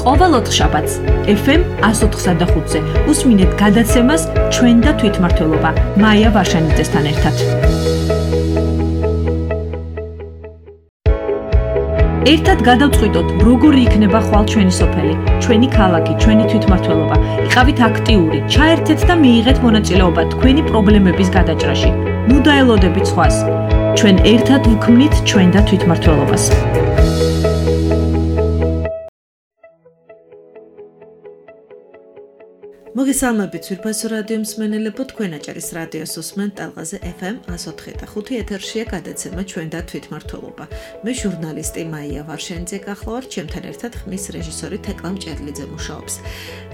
ყოველ ოთხშაბათს FM 104.5-ზე უსმინეთ გადაცემას ჩვენ და თვითმმართველობა მაია ვარშანიძესთან ერთად. ერთად გადავწყვიტოთ, როგორი იქნება ხვალ ჩვენი სოფელი, ჩვენი ქალაქი, ჩვენი თვითმმართველობა. იყავით აქტიური, ჩაერთეთ და მიიღეთ მონაწილეობა თქვენი პრობლემების გადაჭრაში. ნუ დაელოდებით სხვას. ჩვენ ერთად ვქმნით ჩვენ და თვითმმართველობას. მოგესალმებით ძვირფასო რადიო მსმენელებო, თქვენ აჭარის რადიოს უსმენთ ტალღაზე FM 104.5 ეთერშია გადაცემა ჩვენ და თვითმმართველობა. მე ჟურნალისტი მაია ვარშენიძე გახლავართ, ჩემთან ერთად ხმის რეჟისორი თეკლა მჭედლიძე მუშაობს.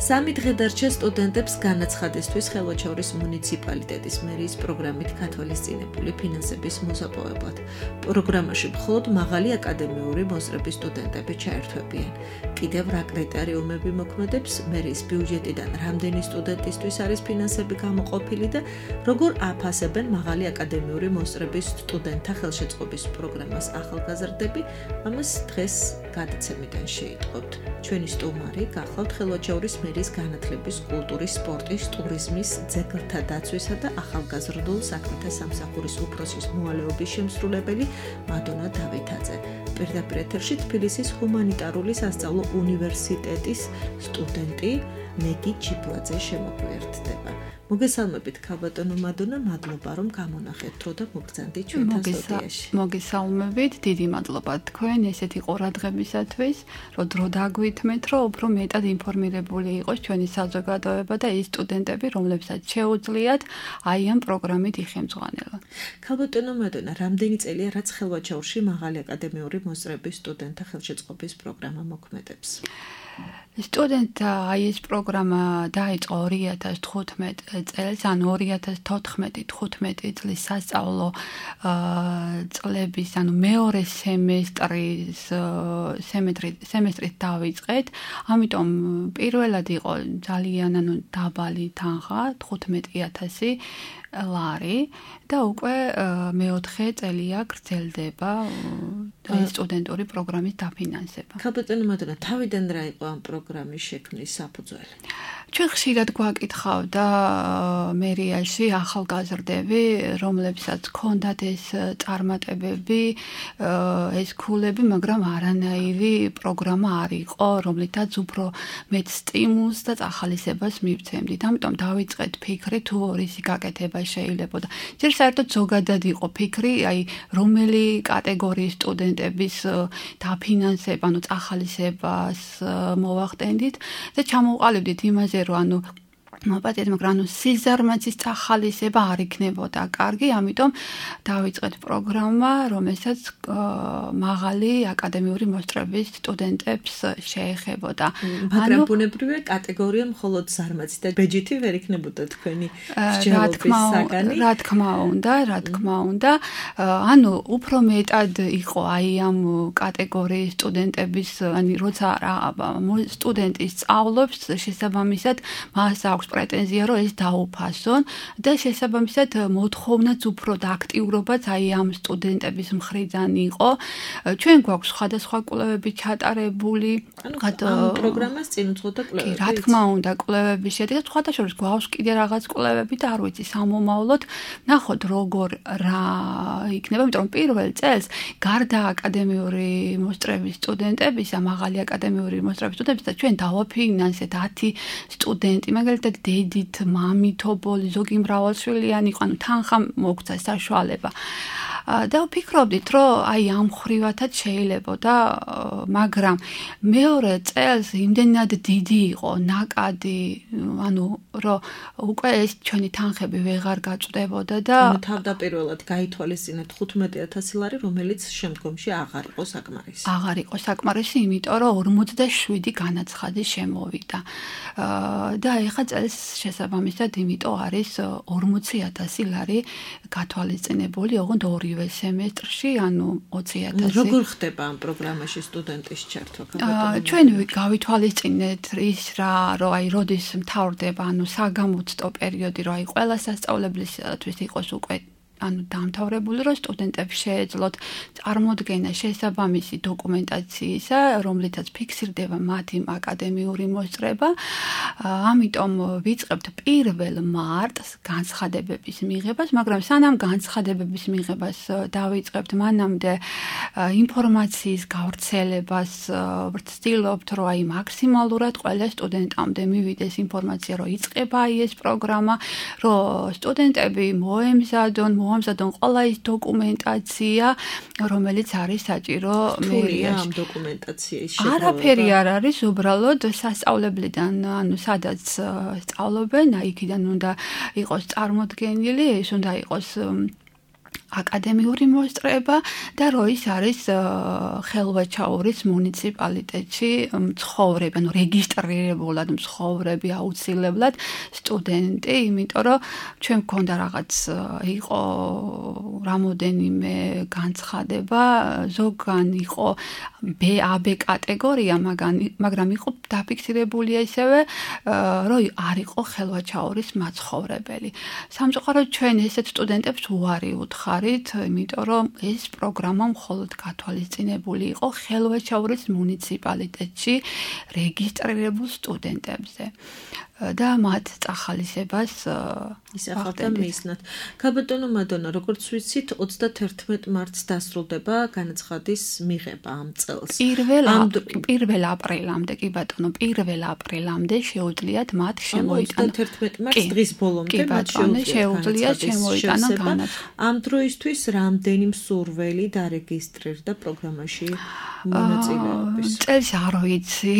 3 დღე დარჩა სტუდენტებს განაცხადისთვის ხელვაჩაურის მუნიციპალიტეტის მერიის პროგრამით გათვალისწინებული ფინანსების მოსაპოვებლად. პროგრამაში მხოლოდ მაღალი აკადემიური მოსწრების სტუდენტები ჩაერთვებიან. კიდევ რა კრიტერიუმები მოქმედებს მერიის ბიუჯეტიდან რამდენი სტუდენტისთვის არის ფინანსები გამოყოფილი და როგორ აფასებენ მაღალი აკადემიური მოსწრების სტუდენტთა ხელშეწყობის პროგრამას ახალგაზრდები, ამას დღეს გადაცემიდან შეიტყობთ. ჩვენი სტუმარი გახლავთ ხელვაჩაურის მერიის განათლების, კულტურის, სპორტის, ტურიზმის, ძეგლთა დაცვისა და ახალგაზრდულ საქმეთა სამსახურის უფროსის მოვალეობის შემსრულებელი მადონა დავითაძე. პირდაპირ ეთერში თბილისის ჰუმანიტარული სასწავლო უნივერსიტეტის სტუდენტი ნეგი ჩიბლაძე შემოგვიერთდება. მოგესალმებით ქალბატონო მადონა, მადლობა რომ გამონახეთ დრო და მოგბრძანდით ჩვენთან სტუდიაში. მოგესალმებით, დიდი მადლობა თქვენ ესეთი ყურადღებისათვის, რომ დრო დაგვითმეთ, რომ უფრო მეტად ინფორმირებული იყოს ჩვენი საზოგადოება და ის სტუდენტები, რომლებსაც შეუძლიათ აი ამ პროგრამით იხემძღვანელონ. ქალბატონო მადონა, რამდენი წელია რაც ხელვაჩაურში მაღალი აკადემიური მოსწრების სტუდენტთა ხელშეწყობის პროგრამა მოქმედებს? სტუდენტთა აი ეს პროგრამა დაიწყო 2015 წელს, ანუ 2014-15 წლის სასწავლო წლების, ანუ მეორე სემესტრით დავიწყეთ. ამიტომ პირველად იყო ძალიან დაბალი თანხა, 15,000 ლარი და უკვე მეოთხე წელია გრძელდება ეს სტუდენტური პროგრამის დაფინანსება. ქალბატონო მადონა, თავიდან რა იყო ამ პროგრამის შექმნის საფუძველი? ჩვენ ხშირად გვაკითხავდა მერიაში ახალგაზრდები, რომლებსაც ჰქონდათ ეს წარმატებები, ეს ქულები, მაგრამ არანაირი პროგრამა არ იყო, რომლითაც უფრო მეტ სტიმულს და ახალისებას მივცემდით. ამიტომ დავიწყეთ ფიქრი, თუ რისი გაკეთება შეიძლებოდა. ჯერ საერთოდ ზოგადად იყო ფიქრი, აი რომელი კატეგორიის სტუდენტების დაფინანსება, ანუ ახალისებას მოვახდენდით და ჩამოვყალიბდით იმაზე, რომ მოპატიეთ, მაგრამ სიზარმაცის ახალისება არ იქნებოდა კარგი, ამიტომ დავიწყეთ პროგრამა, რომელსაც მაღალი აკადემიური მოსწრების სტუდენტებს შეეხებოდა. მაგრამ ბუნებრივია კატეგორია მხოლოდ ზარმაცი და ბეჯითი ვერ იქნებოდა თქვენი მსჯელობის საგანი. რა თქმა უნდა, ანუ უფრო მეტად იყო აი ამ კატეგორიის სტუდენტების, ანუ როცა სტუდენტი სწავლობს, შესაბამისად მას აქვს პრეტენზია, რომ ეს დაუფასონ და შესაბამისად მოთხოვნაც უფრო და აქტიურობაც აი ამ სტუდენტების მხრიდან იყო. ჩვენ გვაქვს სხვადასხვა კვლევები ჩატარებული. ამ პროგრამას წინ უძღოდა კვლევები. რა თქმა უნდა, კვლევების შედეგად სხვადასხვა შორის გვაქვს კიდე რაღაც კვლევები და არ ვიცი სამომავლოდ ნახოთ როგორ რა იქნება, იმიტომ რომ პირველ წელს გარდა აკადემიური მოსწრების სტუდენტებისა, მაღალი აკადემიური მოსწრების სტუდენტებისა ჩვენ დავაფინანსეთ 10 სტუდენტი, მაგალითად დედით, მამით, ობოლი, ზოგი მრავალშვილიანი იყო, ანუ თანხა მოგცა საშუალება. და ვფიქრობდით, რომ აი ამ ხრივათაც შეიძლებოდა, მაგრამ მეორე წელს იმდენად დიდი იყო ნაკადი, ანუ რომ უკვე ეს ჩვენი თანხები ვეღარ გაწვდებოდა და თავდაპირველად გაითვალისწინეთ 15,000 ლარი, რომელიც შემდგომში აღარ იყო საკმარისი. აღარ იყო საკმარისი, იმიტომ რომ 47 განაცხადი შემოვიდა. და ეხლა წელს შესაბამისად იმიტომ არის 40,000 ლარი გათვალისწინებული, ოღონდ ორივე სემესტრში, ანუ 20,000. როგორ ხდება ამ პროგრამაში სტუდენტის ჩართვა? ჩვენ გავითვალისწინეთ ის რა, რომ აი როდის მთავრდება, ანუ საგამოცდო პერიოდი, რომ აი ყველა სასწავლებლისათვის იყოს უკვე ანუ დამთავრებული, რომ სტუდენტებს შეეძლოთ წარმოდგენა შესაბამისი დოკუმენტაციისა, რომლითაც ფიქსირდება მათი აკადემიური მოსწრება. ამიტომ ვიწყებთ 1 მარტს განცხადებების მიღებას, მაგრამ სანამ განცხადებების მიღებას დავიწყებთ, მანამდე ინფორმაციის გავრცელებას ვცდილობთ, რომ აი მაქსიმალურად ყველა სტუდენტამდე მივიდეს ინფორმაცია, რომ იწყება ეს პროგრამა, რომ სტუდენტები მოემზადონ ყველა ის დოკუმენტაცია, რომელიც არის საჭირო მერიაში. ამ დოკუმენტაციის შეგროვება. არაფერი არ არის, უბრალოდ სასწავლებლიდან, ანუ სადაც სწავლობენ, იქიდან უნდა იყოს წარმოდგენილი, ეს უნდა იყოს აკადემიური მოსწრება და რო ის არის ხელვაჩაურის მუნიციპალიტეტში მცხოვრები, ანუ რეგისტრირებულად მცხოვრები აუცილებლად სტუდენტი, იმიტომ რომ ჩვენ მქონდა რაღაც იყო რამოდენიმე განცხადება, ზოგან იყო AB კატეგორია, მაგრამ იყო დაფიქსირებული ისევე, რომ არ იყო ხელვაჩაურის მაცხოვრებელი. სამწუხაროდ ჩვენ ესეთ სტუდენტებს უარი ვუთხარით, იმიტომ რომ ეს პროგრამა მხოლოდ გათვალისწინებული იყო ხელვაჩაურის მუნიციპალიტეტში რეგისტრირებულ სტუდენტებზე და მათ წახალისებას ისახავდა მისნათ. ქაბატონო მადონა, როგორც ვიცით, 31 მარტს დასრულდება განაცხადის მიღება ამ წელს. 1 აპრილამდე, კი ბატონო, 1 აპრილამდე შეუძლიათ მათ შემოიტანონ. 31 მარტს დღის ბოლომდე მათ შეუძლიათ შემოიტანონ განაცხადი. ამ დროისთვის რამდენი მსურველი დარეგისტრირდა პროგრამაში მონაწილეობის? წელს არ ვიცი,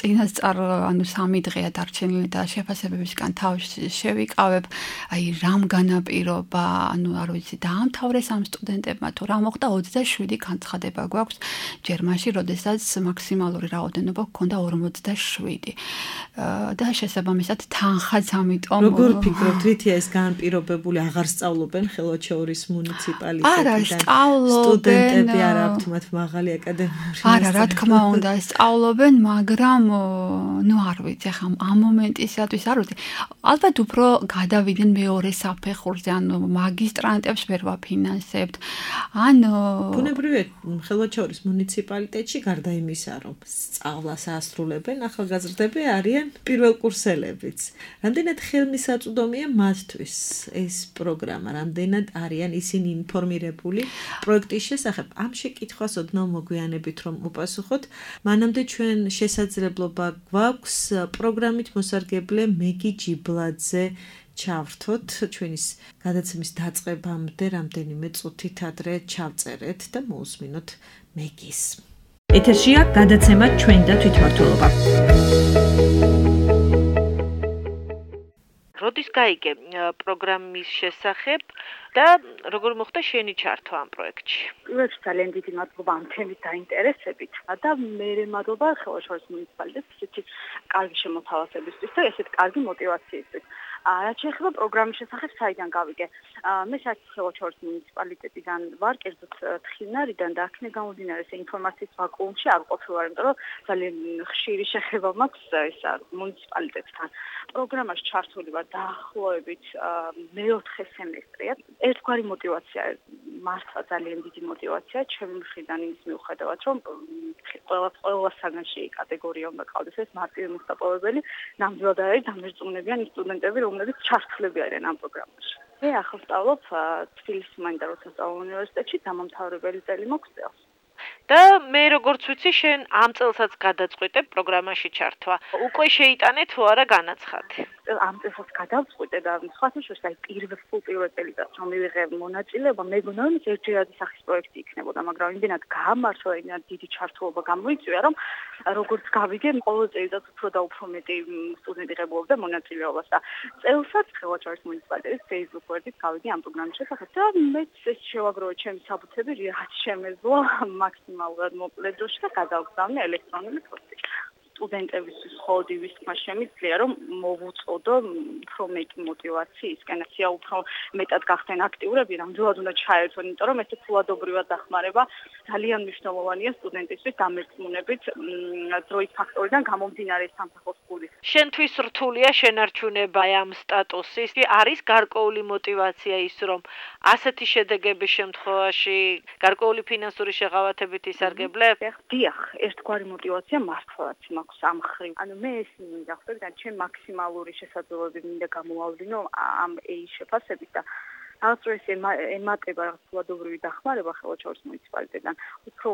წინასწარ ანუ 3 დღეა დარჩენილი და შეფასებებისგან თავს შევიკავებ, აი რამ განაპირობა, ანუ არ ვიცი, დაამთავრეს ამ სტუდენტებმა თუ რა მოხდა, 27 განცხადება გვაქვს ჯერმაში, როდესაც მაქსიმალური რაოდენობა გქონდა 47. და შესაბამისად თანხაც ამიტომ როგორ ფიქრობთ, რითია ეს განპირობებული, აღარ სწავლობენ ხელვაჩაურის მუნიციპალიტეტიდან? სტუდენტები არ აქვთ მათ მაღალი აკადემიური არა, რა თქმა უნდა, სწავლობენ, მაგრამ ნუ არ ვიცი, ახლა ამ მომენტისათვის არ ვიცი. ალბათ უფრო გადავიდნენ მეორე საფეხურზე, ანუ მაგისტრანტებს ვერ ვაფინანსებთ. ან ბუნებრივია, ხელვაჩაურის მუნიციპალიტეტში გარდა იმისა, რომ სწავლას ასრულებენ, ახალგაზრდები არიან პირველკურსელებიც. რამდენად ხელმისაწვდომია მათთვის ეს პროგრამა, რამდენად არიან ისინი ინფორმირებული პროექტის შესახებ? ამ შეკითხვას ოდნავ მოგვიანებით რომ უპასუხოთ, მანამდე ჩვენ შესაძლებლობა გვაქვს პროგრამით მოსარგებლე მეგი ჯიბლაძე ჩავრთოთ, ჩვენის გადაცემის დაწყებამდე რამდენიმე წუთით ადრე ჩავწერეთ და მოусმინოთ მეგის. ეთერშია გადაცემა ჩვენ და თვითმმართველობა. როდის გაიგე პროგრამის შესახებ და როგორ მოხდა შენი ჩართვა ამ პროექტში? პირველში ძალიან დიდი მადლობა ამ თემით დაინტერესებით და მერე მადლობა ხელვაჩაურის მუნიციპალიტეტს ისეთი კარგი შემოთავაზებისთვის და ესეთ კარგი мотиваციისთვის. რაც შეეხება პროგრამის შესახებ, საიდან გავიგე? მე საერთოდ ხელვაჩაურის მუნიციპალიტეტიდან ვარ, კერძოდ თხინარიდან და აქედან გამომდინარე ინფორმაციის ვაკუუმში არ ყოფილვარ, იმიტომ რომ ძალიან ხშირი შეხება მაქვს ეს მუნიციპალიტეტთან. პროგრამაში ჩართული ვარ დაახლოებით მე-4 სემესტრია. ერთგვარი мотиваცია, მართლა ძალიან დიდი мотиваცია ჩემი მხრიდან იმის მიუხედავად, რომ ყველა საგანში კატეგორია უნდა ყავდეს ეს მარტივი მოსაპოვებელი, ნამდვილად არის დამერწმუნებიან სტუდენტები, რომლებიც ჩართულები არიან ამ პროგრამაში. მე ახლა ვსწავლობ თბილისის ჰუმანიტარულ სასწავლო უნივერსიტეტში, დამამთავრებელი წელი მაქვს წელს. და მე როგორც ვიცი, შენ ამ წელსაც გადაწყვიტე პროგრამაში ჩართვა. უკვე შეიტანე თუ არა განაცხადი? ამ წელსაც გადავწყვიტე და სხვათა შორის აი პირველ წელიწადს რომ მივიღე მონაწილეობა, მეგონა რომ ერთჯერადი სახის პროექტი იქნებოდა, მაგრამ იმდენად გაამართლა, იმდენად დიდი ჩართულობა გამოიწვია, რომ როგორც გავიგე, ყოველ წელიწადს უფრო და უფრო მეტი სტუდენტი ღებულობდა მონაწილეობას და წელსაც ხელვაჩაურის მუნიციპალიტეტის Facebook გვერდით გავიგე ამ პროგრამის შესახებ და მეც ეს შევაგროვე ჩემი საბუთები, რაც შემეძლო მაქსიმალურად მოკლე დროში და გადავგზავნე ელექტრონული ფოსტით. სტუდენტებისთვის ხოლდივის თქმა შემიძლია, რომ მოვუწოდო უფრო მეტი мотиваციისკენ, უფრო მეტად გახდნენ აქტიურები, ნამდვილად უნდა ჩაერთონ, იმიტომ რომ ეს ფულადობრივად დახმარება ძალიან მნიშვნელოვანია სტუდენტისთვის დამერწმუნებით დროის ფაქტორიდან გამომდინარე სამსახურის ფულის. შენთვის რთულია შენარჩუნება ამ სტატუსის? არის გარკვეული мотиваცია ის, რომ ასეთი შედეგების შემთხვევაში გარკვეული ფინანსური შეღავათებით ისარგებლებ? დიახ, ერთგვარი мотиваცია მართლაც მაქვს ამ ხრივ. ანუ მე ეს მინდა ხვდები და ჩემ მაქსიმალური შესაძლებლობები მინდა გამოვავლინო ამ AI შეფასებით და რაღაც ეს ემატება რაღაც ფულადობრივი დახმარება ხელვაჩაურის მუნიციპალიტეტიდან უფრო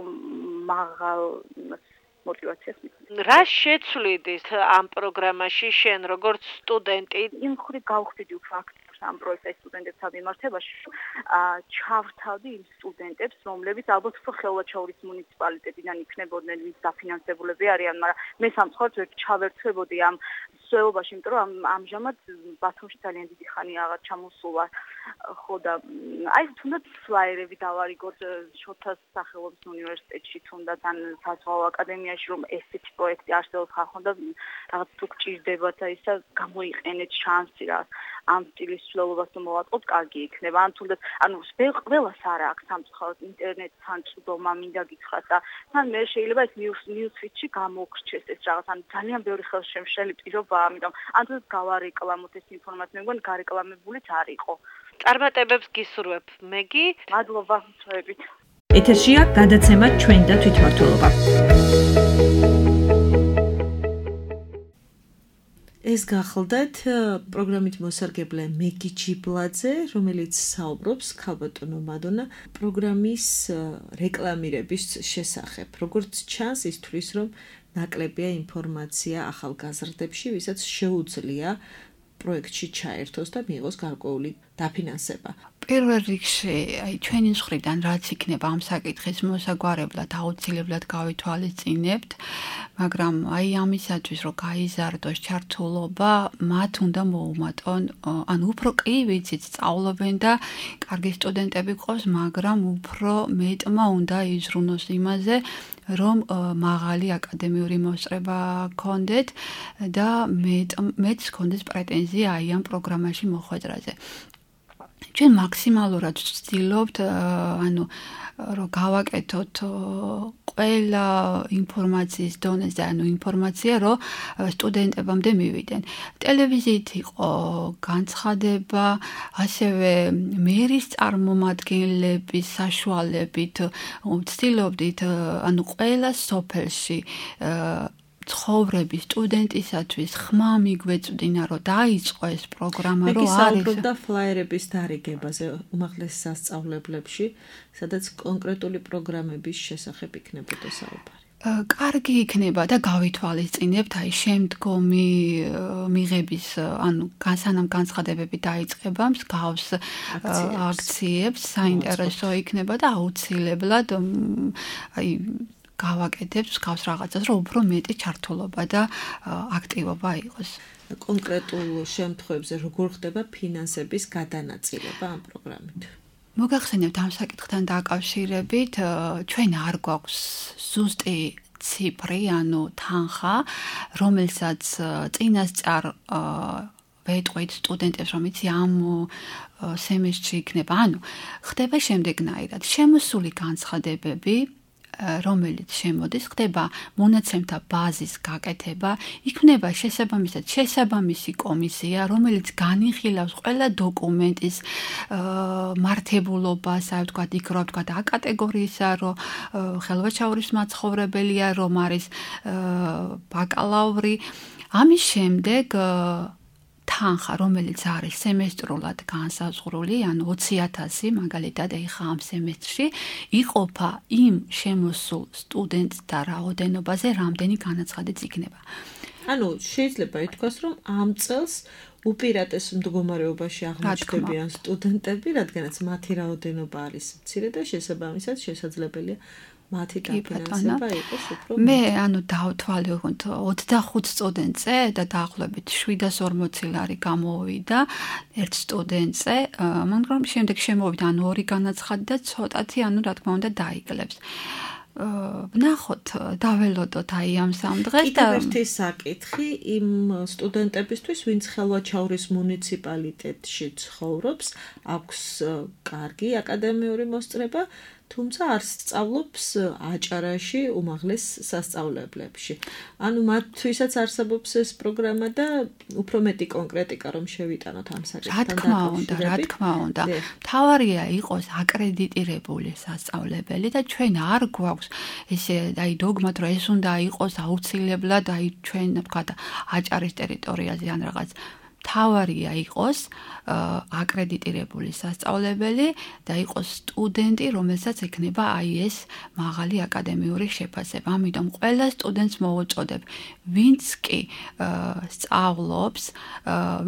მაღალ мотиваციას მithom. რა შეცვლიდით ამ პროგრამაში შენ როგორც სტუდენტი? იმ ხრი გავხდიდი უფრო აქტიურად ამ პროექტის სტუდენტებთან მიმართებაში, ჩავრთავდი იმ სტუდენტებს, რომლებიც ალბათ უფრო ხელვაჩაურის მუნიციპალიტეტიდან იქნებოდნენ, ვინც დაფინანსებულები არიან, მაგრამ მე სამწუხაროდ ვერ ჩავერთვებოდი ამ სვეობაში, იმიტომ რომ ამჟამად ბათუმში ძალიან დიდი ხანია აღარ ჩამოსულა. ხო და აი თუნდაც ფლაიერები დავარიგოთ შოთას სახელობის უნივერსიტეტში, თუნდაც ან საზღვაო აკადემიაში, რომ ესეთი პროექტი არსებობს ხახონ და რაღაც თუ გჭირდებათ და ისა გამოიყენეთ შანსი რა ამ სტილის ცვლილობას თუ მოვატყობთ, კარგი იქნება. ან თუნდაც ანუ ყველას არ აქვს სამწუხაროდ ინტერნეტთან წვდომა მინდა გითხრათ და თან მე შეიძლება ეს ნიუსფიტში გამოგრჩეს ეს რაღაც ან ძალიან ბევრი ხელშემშელი პირობაა, ამიტომ ან თუნდაც გავარეკლამოთ ეს ინფორმაცია, მე მგონი გარეკლამებულიც არ იყო. წარმატებებს გისურვებ. მეგი, მადლობა ჩვენებით. ეთერშია გადაცემა ჩვენ და თვითმმართველობა. ეს გახლდათ პროგრამით მოსარგებლე მეგი ჯიბლაძე, რომელიც საუბრობს ქალბატონო მადონა პროგრამის რეკლამირების შესახებ. როგორც ჩანს, ის თვლის, რომ ნაკლებია ინფორმაცია ახალგაზრდებში, ვისაც შეუძლია პროექტში ჩაერთოს და მიიღოს გარკვეული დაფინანსება. პირველ რიგში, აი ჩვენი მხრიდან რაც იქნება ამ საკითხის მოსაგვარებლად აუცილებლად გავითვალისწინებთ, მაგრამ აი ამისათვის რომ გაიზარდოს ჩართულობა, მათ უნდა მოუმატონ, ანუ უფრო კი ვიცით, სწავლობენ და კარგი სტუდენტები ყავს, მაგრამ უფრო მეტმა უნდა იზრუნოს იმაზე, რომ მაღალი აკადემიური მოსწრება გქონდეთ და მეც გქონდეს პრეტენზია აი ამ პროგრამაში მოხვედრაზე. ჩვენ მაქსიმალურად ვცდილობთ, ანუ რომ გავაკეთოთ ყველა ინფორმაციის დონეზე, ანუ ინფორმაცია, რომ სტუდენტებამდე მივიდნენ. ტელევიზიით იყო განცხადება, ასევე მერის წარმომადგენლების საშუალებით ვცდილობდით, ანუ ყველა სოფელში ცხოვრების სტუდენტისათვის ხმა მიგვეწვდინა, რომ დაიწყო ეს პროგრამა, რომ არის. მეკისაუბრობდა ფლაიერების დარიგებაზე უმაღლეს სასწავლებლებში, სადაც კონკრეტული პროგრამების შესახებ იქნებოდა საუბარი. კარგი იქნება და გავითვალისწინებთ აი შემდგომი მიღების, ანუ სანამ განცხადებები დაიწყება, მსგავს აქციებს საინტერესო იქნება და აუცილებლად აი გავაკეთებთ მსგავს რაღაცას, რომ უფრო მეტი ჩართულობა და აქტივობა იყოს. კონკრეტულ შემთხვევებზე როგორ ხდება ფინანსების გადანაწილება ამ პროგრამით? მოგახსენებთ ამ საკითხთან დაკავშირებით, ჩვენ არ გვაქვს ზუსტი ციფრი, ანუ თანხა, რომელსაც წინასწარ ვეტყვით სტუდენტებს, რომ იცი ამ სემესტრში იქნება. ანუ ხდება შემდეგნაირად, შემოსული განცხადებები, რომელიც შემოდის, ხდება მონაცემთა ბაზის გაკეთება, იქნება შესაბამისი კომისია, რომელიც განიხილავს ყველა დოკუმენტის მართებულობას, აი ვთქვათ, იქ რა ვთქვათ, A კატეგორიისა, რომ ხელვაჩაურის მაცხოვრებელია, რომ არის ბაკალავრი. ამის შემდეგ თანხა, რომელიც არის სემესტრულად განსაზღვრული, ანუ 20,000 მაგალითად ეხა ამ სემესტრში, იყოფა იმ შემოსულ სტუდენტთა რაოდენობაზე, რამდენი განაცხადიც იქნება. ანუ შეიძლება ითქვას, რომ ამ წელს უპირატეს მდგომარეობაში აღმოჩნდებიან სტუდენტები, რადგანაც მათი რაოდენობა არის მცირე და შესაბამისად შესაძლებელია მათი დაფინანსება იყოს უფრო. მე ანუ დავთვალე 25 სტუდენტზე და დაახლოებით 740 ლარი გამოვიდა ერთ სტუდენტზე, მაგრამ შემდეგ შემოვიდა ანუ ორი განაცხადი და ცოტათი ანუ რა თქმა უნდა დაიკლებს. ვნახოთ, დაველოდოთ აი ამ სამ დღეს და ერთი საკითხი იმ სტუდენტებისთვის, ვინც ხელვაჩაურის მუნიციპალიტეტში ცხოვრობს, აქვს კარგი აკადემიური მოსწრება თუმცა არ სწავლობს აჭარაში უმაღლეს სასწავლებლებში. ანუ მათთვისაც არსებობს ეს პროგრამა და უფრო მეტი კონკრეტიკა რომ შევიტანოთ ამ საკითხთან რა თქმა უნდა. თავარია იყოს აკრედიტირებული სასწავლებელი და ჩვენ არ გვაქვს ესე დოგმათ რომ ეს უნდა იყოს აუცილებლად ჩვენ ვთქვათ აჭარის ტერიტორიაზე ან რაღაც თავარია იყოს აკრედიტირებული სასწავლებელი და იყოს სტუდენტი, რომელსაც ექნება ეს მაღალი აკადემიური შეფასება. ამიტომ ყველა სტუდენტს მოვუწოდებ, ვინც კი სწავლობს,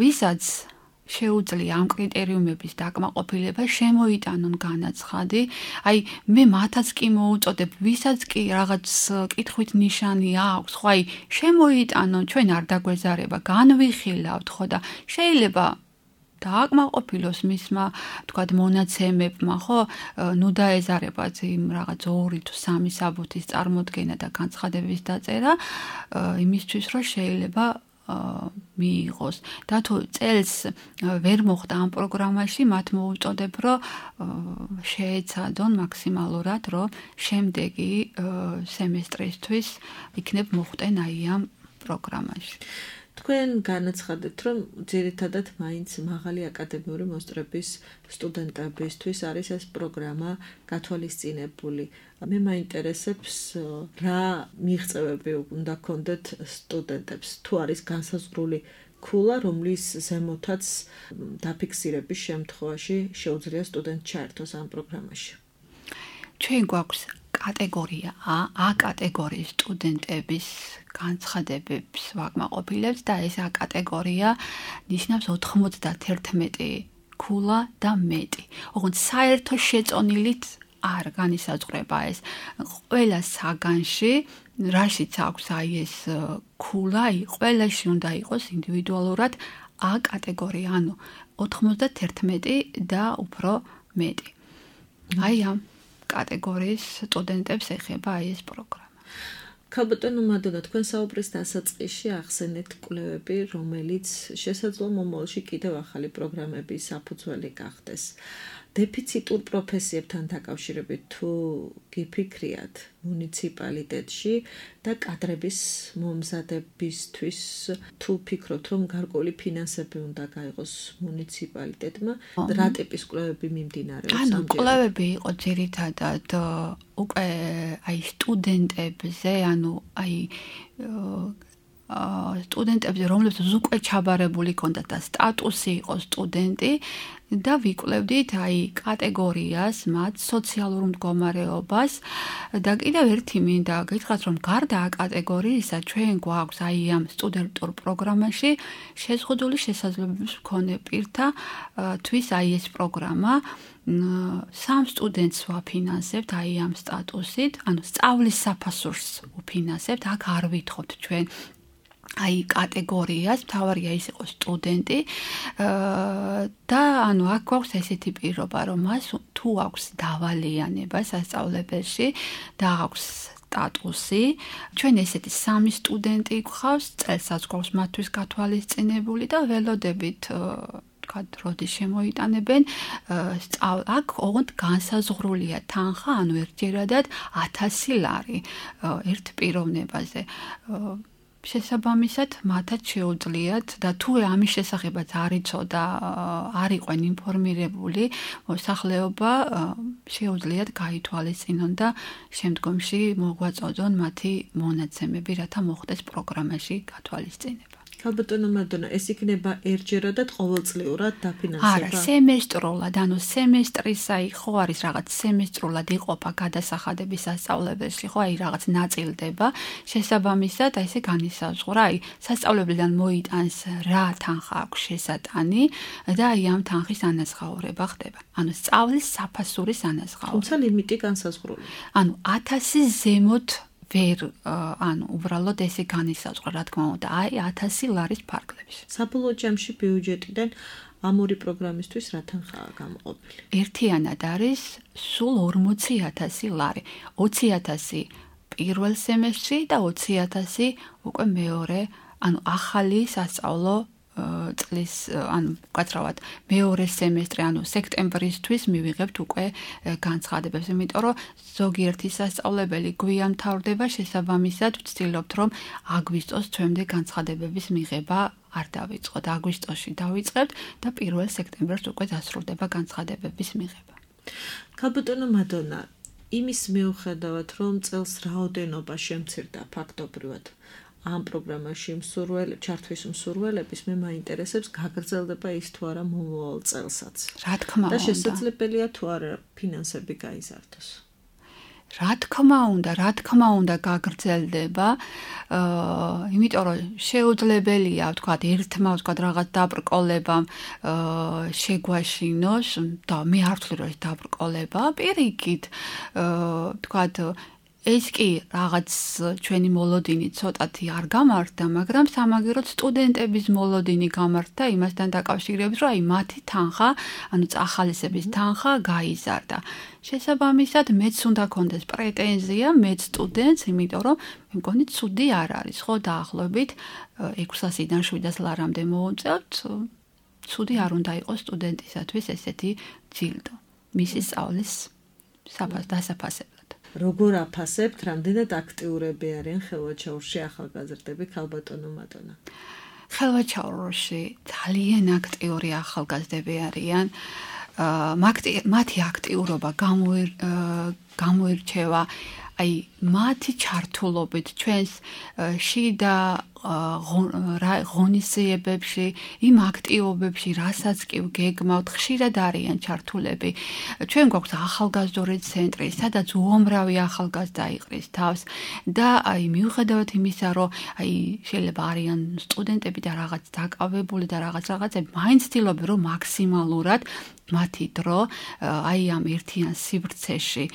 ვისაც შეუძლია ამ კრიტერიუმების დაკმაყოფილება, შემოიტანონ განაცხადი. მე მათაც კი მოვუწოდებ, ვისაც კი რაღაც კითხვით ნიშანი აქვს, ხო, შემოიტანონ, ჩვენ არ დაგვეზარება, განვიხილავთ, ხო და შეიძლება დააკმაყოფილოს მისმა, ვთქვათ, მონაცემებმა, ხო, ნუ დაეზარებათ იმ რაღაც 2 თუ 3 საბუთის წარმოდგენა და განცხადების დაწერა, იმისთვის რომ შეიძლება მიიღოს. და თუ წელს ვერ მოხდა ამ პროგრამაში, მათ მოვუწოდებ, რომ შეეცადონ მაქსიმალურად, რომ შემდეგი სემესტრისთვის იქნებ მოხვდნენ ამ პროგრამაში. თქვენ განაცხადეთ, რომ ძირითადად მაინც მაღალი აკადემიური მოსწრების სტუდენტებისთვის არის ეს პროგრამა გათვალისწინებული. მე მაინტერესებს რა მიღწევები უნდა გქონდეთ სტუდენტებს, თუ არის განსაზღვრული ქულა, რომლის ზემოთაც დაფიქსირების შემთხვევაში შეუძლია სტუდენტ ჩაერთოს ამ პროგრამაში. ჩვენ გვაქვს კატეგორია A კატეგორიის სტუდენტების განცხადებებს ვაკმაყოფილებთ და ეს A კატეგორია ნიშნავს 91 ქულა და მეტი. ოღონდ საერთო შეწონილით არ განისაზღვრება ეს. ყველა საგანში, რაშიც აქვს ეს ქულა, ყველაში უნდა იყოს ინდივიდუალურად A კატეგორია, ანუ 91 და უფრო მეტი. ამ კატეგორიის სტუდენტებს ეხება ეს პროგრამა. ქალბატონო მადონა, თქვენ საუბრის დასაწყისში ახსენეთ კვლევები, რომელიც შესაძლოა მომავალში კიდევ ახალი პროგრამების საფუძველი გახდეს. დეფიციტურ პროფესიებთან დაკავშირებით თუ გიფიქრიათ მუნიციპალიტეტში და კადრების მომზადებისთვის თუ ფიქრობთ რომ გარკვეული ფინანსები უნდა გაიღოს მუნიციპალიტეტმა, რა ტიპის კვლევები მიმდინარეობს ამჯერად? კვლევები იყო ძირითადად უკვე სტუდენტებზე, სტუდენტებზე, რომლებსაც უკვე ჩაბარებული ჰქონდათ და სტატუსი იყო სტუდენტი და ვიკვლევდით კატეგორიას, მათ სოციალურ მდგომარეობას და კიდევ ერთი მინდა გითხრათ, რომ გარდა კატეგორიისა ჩვენ გვაქვს ამ სტუდენტურ პროგრამაში შეზღუდული შესაძლებლობის მქონე პირთა თვის ეს პროგრამა 3 სტუდენტს ვაფინანსებთ ამ სტატუსით, ანუ სწავლის საფასურს ვფინანსებთ, აქ არ ვითხოვთ ჩვენ კატეგორიას, მთავარია ის იყოს სტუდენტი და აქ გვაქვს ესეთი პირობა, რომ მას თუ აქვს დავალიანება სასწავლებელში და აქვს სტატუსი, ჩვენ ესეთი 3 სტუდენტი გვყავს, წელსაც გვაქვს მათთვის გათვალისწინებული და ველოდებით როდის შემოიტანებენ, აქ ოღონდ განსაზღვრულია თანხა, ანუ ერთჯერადად 1000 ლარი ერთ პიროვნებაზე. შესაბამისად, მათაც შეუძლიათ და თუ ამის შესახებაც არ იცოდა და არ იყვენ ინფორმირებული, მოსახლეობა შეუძლიათ გაითვალისწინონ და შემდგომში მოგვაწოდონ მათი მონაცემები, რათა მოხდეს პროგრამაში გათვალისწინება. ქალბატონო მადონა, ეს იქნება ერთჯერადად ყოველწლიურად დაფინანსება? არა, სემესტრულად, ანუ სემესტრისა ხო არის რაღაც სემესტრულად იყოფა გადასახადების სასწავლებელში, ხო რაღაც ნაწილდება, შესაბამისად ესე განისაზღვრა, სასწავლებლიდან მოიტანს რა თანხა აქვს შესატანი და ამ თანხის ანაზღაურება ხდება. ანუ სწავლის საფასურის ანაზღაურება. თუმცა ლიმიტი განსაზღვრული. ანუ 1000 ზემოთ უბრალოდ ესე განისაზღვრა, რა თქმა უნდა, 1000 ლარის ფარგლებში. საბოლოო ჯამში ბიუჯეტიდან ამ ორი პროგრამისთვის რა თანხაა გამოყოფილი? ერთიანად არის სულ 40000 ლარი. 20000 პირველ სემესტრში და 20000 უკვე მეორე, ანუ ახალი სასწავლო წლის ანუ გაცრავად მეორე სემესტრი ანუ სექტემბრისთვის მივიღებთ უკვე განცხადებებს, იმიტომ რომ ზოგიერთი სასწავლებელი გვიან მთავრდება, შესაბამისად ვცდილობთ რომ აგვისტოს ჩვენამდე განცხადებების მიღება არ დავიწყოთ. აგვისტოში დავიწყებთ და 1 სექტემბერს უკვე დასრულდება განცხადებების მიღება. ქალბატონო მადონა, იმის მიუხედავად რომ წელს რაოდენობა შემცირდა ფაქტობრივად ამ პროგრამაში ჩართვის მსურველების მე მაინტერესებს გაგრძელდება ის თუ არა მომავალ წელსაც. რა თქმა უნდა. და შესაძლებელია თუ არა ფინანსები გაიზარდოს. რა თქმა უნდა გაგრძელდება, იმიტომ რომ შეუძლებელია, ვთქვათ, ერთმა ვთქვათ რაღაც დაბრკოლებამ შეგვაშინოს და მე არ ვთვლი რომ ეს დაბრკოლება, პირიქით, ვთქვათ, ეს კი რაღაც ჩვენი მოლოდინი ცოტათი არ გამართდა, მაგრამ სამაგიეროდ სტუდენტების მოლოდინი გამართდა იმასთან დაკავშირებით, რომ აი მათი თანხა, ანუ წახალისების თანხა გაიზარდა. შესაბამისად, მეც უნდა კონდეს პრეტენზია, მეც სტუდენტს, იმიტომ რომ მე მგონი ცუდი არ არის, ხო, დაახლოებით 600-დან 700 ლარამდე მოვუწევთ, ცუდი არ უნდა იყოს სტუდენტისათვის ესეთი ჯილდო. მისი სწავლის დასაფასებლად. როგორ აფასებთ, რამდენად აქტიურები არიან ხელვაჩაურში ახალგაზრდები, ქალბატონო მადონა? ხელვაჩაურში ძალიან აქტიური ახალგაზრდები არიან. მათი აქტიურობა გამოირჩევა აი მათი ჩართულობით ჩვენს შიდა ღონისძიებებში, იმ აქტივობებში, რასაც კი გეგმავთ, ხშირად არიან ჩართულები. ჩვენ გვაქვს ახალგაზრდული ცენტრი, სადაც უამრავი ახალგაზრდა იყრის თავს და აი მიუხედავად იმისა, რომ აი შეიძლება არიან სტუდენტები და რაღაც დაკავებული და რაღაცები, მაინც ცდილობენ რომ მაქსიმალურად მათი დრო აი ამ ერთიან სივრცეში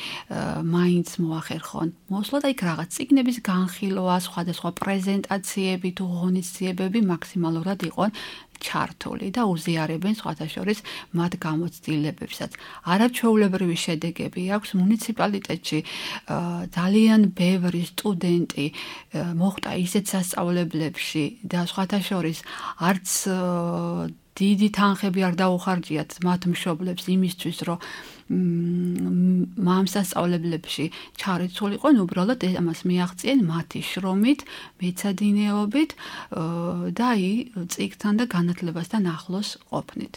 მაინც მოახერხონ. მოსვლა და იქ რაღაც წიგნების განხილვა, სხვადასხვა პრეზენტაციები თუ ღონისძიებები მაქსიმალურად იყვნენ ჩართული და უზიარებენ სხვათა შორის მათ გამოცდილებებსაც. არაჩვეულებრივი შედეგები აქვს მუნიციპალიტეტში. ძალიან ბევრი სტუდენტი მოხვდა ისეთ სასწავლებლებში და სხვათა შორის არც დიდი თანხები არ დაუხარჯიათ მათ მშობლებს იმისთვის, რომ ამ სასწავლებლებში ჩარიცულიყვნენ, უბრალოდ ამას მიაღწიენ მათი შრომით, მეცადინეობით და წიგნთან და განათლებასთან ახლოს ყოფნით.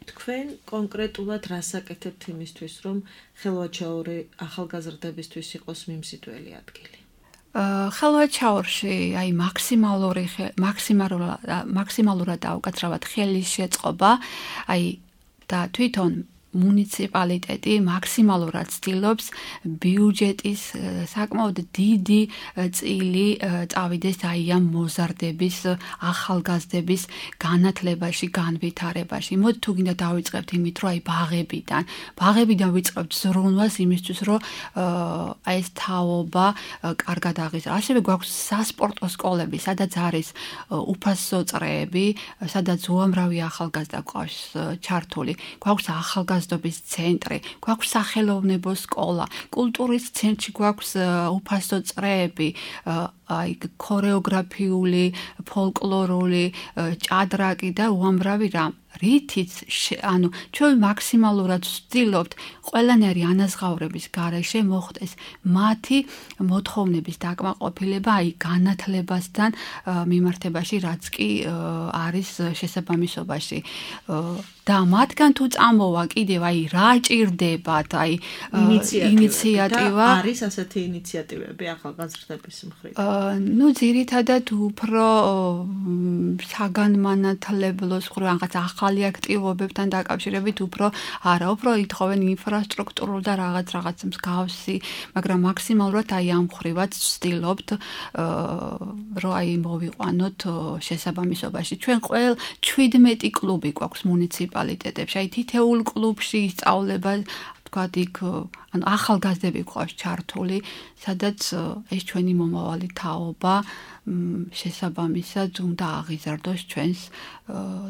თქვენ კონკრეტულად რას აკეთებთ იმისთვის, რომ ხელვაჩაური ახალგაზრდებისთვის იყოს მიმზიდველი ადგილი? ხელვაჩაურში აი მაქსიმალურად დაუკაცრავად ხელის შეწყობა, აი და თვითონ მუნიციპალიტეტი მაქსიმალურად ცდილობს ბიუჯეტის საკმაოდ დიდი წილი წავიდეს აი ამ მოზარდების ახალგაზრდების განათლებაში, განვითარებაში. მოდი თუ გინდა დავიწყებთ იმით, რომ აი ბაღებიდან ვიწყებთ ზრუნვას იმისთვის, რომ აი ეს თაობა კარგად აღიზარდოს. ასევე გვაქვს სასპორტო სკოლები, სადაც არის უფასო წრეები, სადაც უამრავი ახალგაზრდა გვყავს ჩართული. გვაქვს ახალგაზრდობის ცენტრი, გვაქვს სახელოვნებო სკოლა, კულტურის ცენტრში გვაქვს უფასო წრეები, აი ქორეოგრაფიული, ფოლკლორული, ჭადრაკი და უამრავი რამ. რითიც ანუ ჩვენ მაქსიმალურად ვცდილობთ ყველანაირი ანაზღაურების გარეშე მოხდეს მათი მოთხოვნების დაკმაყოფილება აი განათლებასთან მიმართებაში, რაც კი არის შესაბამისობაში. და მათგან თუ წამოვა კიდევ აი რა ჭირდებათ, აი ინიციატივა არის ასეთი ინიციატივები ახალგაზრდების მხრიდან? ნუ ძირითადად უფრო საგანმანათლებლოს რაღაც ახალი აქტივობებთან დაკავშირებით უფრო ითხოვენ ინფრასტრუქტურულ და რაღაც მსგავსი, მაგრამ მაქსიმალურად აი ამ ხრივად ვცდილობთ რომ აი მოვიყვანოთ შესაბამისობაში. ჩვენ 17 კლუბი გვაქვს მუნიციპალიტეტებში, აი თითოეულ კლუბში ისწავლება ვთქვათ, იქ ანუ ახალგაზრდები გვყავს ჩართული, სადაც ეს ჩვენი მომავალი თაობა შესაბამისად უნდა აღიზარდოს ჩვენს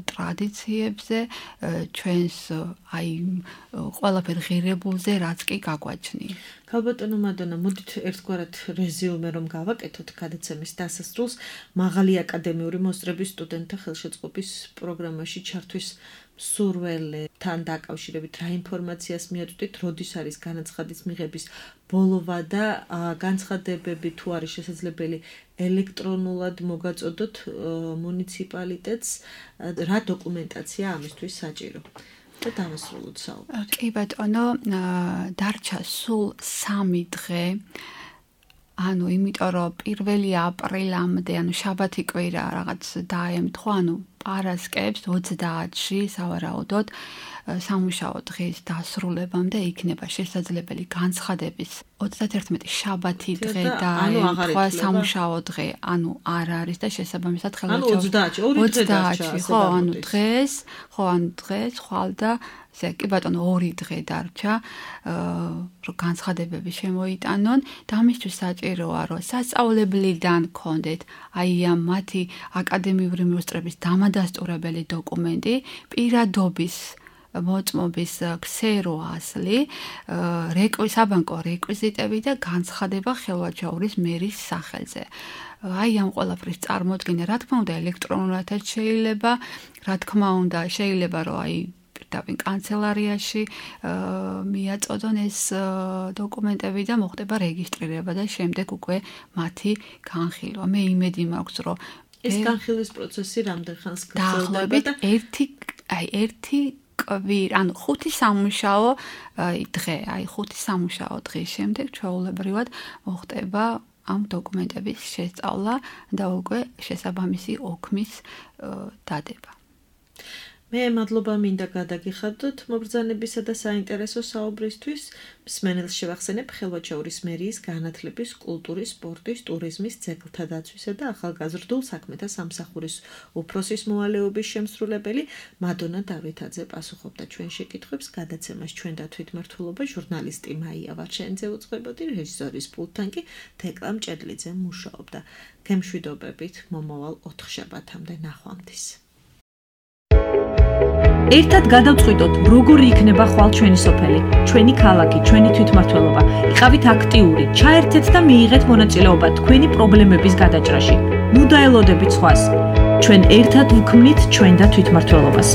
ტრადიციებზე, ჩვენს აი ყველაფერ ღირებულზე, რაც კი გაგვაჩნია. ქალბატონო მადონა, მოდით ერთგვარად რეზიუმე რომ გავაკეთოთ გადაცემის დასასრულს, მაღალი აკადემიური მოსწრების სტუდენტთა ხელშეწყობის პროგრამაში ჩართვის სურველთან დაკავშირებით რა ინფორმაციას მიაწვდით, როდის არის განაცხადის მიღების ბოლოვა და განცხადებები თუ არის შესაძლებელი ელექტრონულად მოგაწოდოთ მუნიციპალიტეტს, რა დოკუმენტაცია ამისთვის საჭირო? და დავასრულოთ საუბარი. კი ბატონო, დარჩა სულ 3 დღე. ანუ იმიტომ რომ 1 აპრილამდე, ანუ შაბათი კვირა რაღაც დაემთხვა, ანუ პარასკევს 30-ში სავარაუდოდ სამუშაო დღის დასრულებამდე იქნება შესაძლებელი განცხადების 31 შაბათი დღე დაემთხვა სამუშაო დღე, ანუ არ არის და შესაბამისად ხელმოწერა 30-ში, ხო, ანუ დღეს ხვალ და კი ბატონო 2 დღე დარჩა, რომ განცხადებები შემოიტანონ და ამისთვის საჭიროა, რომ სასწავლებლიდან გქონდეთ აი ამ მათი აკადემიური მოსწრების დამადასტურებელი დოკუმენტი, პირადობის მოწმობის ქსერო ასლი, საბანკო რეკვიზიტები და განცხადება ხელვაჩაურის მერის სახელზე. აი ამ ყველაფრის წარმოდგენა, რა თქმა უნდა, ელექტრონულადაც შეიძლება, რა თქმა უნდა, შეიძლება რომ აი პირდაპირ კანცელარიაში მიაწოდონ ეს დოკუმენტები და მოხდება რეგისტრირება და შემდეგ უკვე მათი განხილვა. მე იმედი მაქვს, რომ ეს განხილვის პროცესი რამდენ ხანს გრძელდება და ერთი კვირა, ანუ 5 სამუშაო დღე, აი 5 სამუშაო დღის შემდეგ ჩვეულებრივად მოხდება ამ დოკუმენტების შესწავლა და უკვე შესაბამისი ოქმის დადება. მე მადლობა მინდა გადაგიხადოთ მობრძანებისა და საინტერესო საუბრისთვის. მსმენელს შევახსენებ ხელვაჩაურის მერიის განათლების, კულტურის, სპორტის, ტურიზმის, ძეგლთა დაცვისა და ახალგაზრდულ საქმეთა სამსახურის უფროსის მოვალეობის შემსრულებელი მადონა დავითაძე პასუხობდა ჩვენ შეკითხვებს. გადაცემას ჩვენ და თვითმმართველობა ჟურნალისტი მაია ვარშენიძე უწყებოდი, რეჟისორის პულტთან კი თეკლა მჭედლიძე მუშაობდა. გემშვიდობებით მომავალ 4 შაბათამდე ნახვამდის. ერთად გადავწყვიტოთ, როგორი იქნება ხვალ ჩვენი სოფელი, ჩვენი ქალაქი, ჩვენი თვითმმართველობა. იყავით აქტიური, ჩაერთეთ და მიიღეთ მონაწილეობა თქვენი პრობლემების გადაჭრაში. ნუ დაელოდებით სხვას. ჩვენ ერთად ვქმნით ჩვენ და თვითმმართველობას.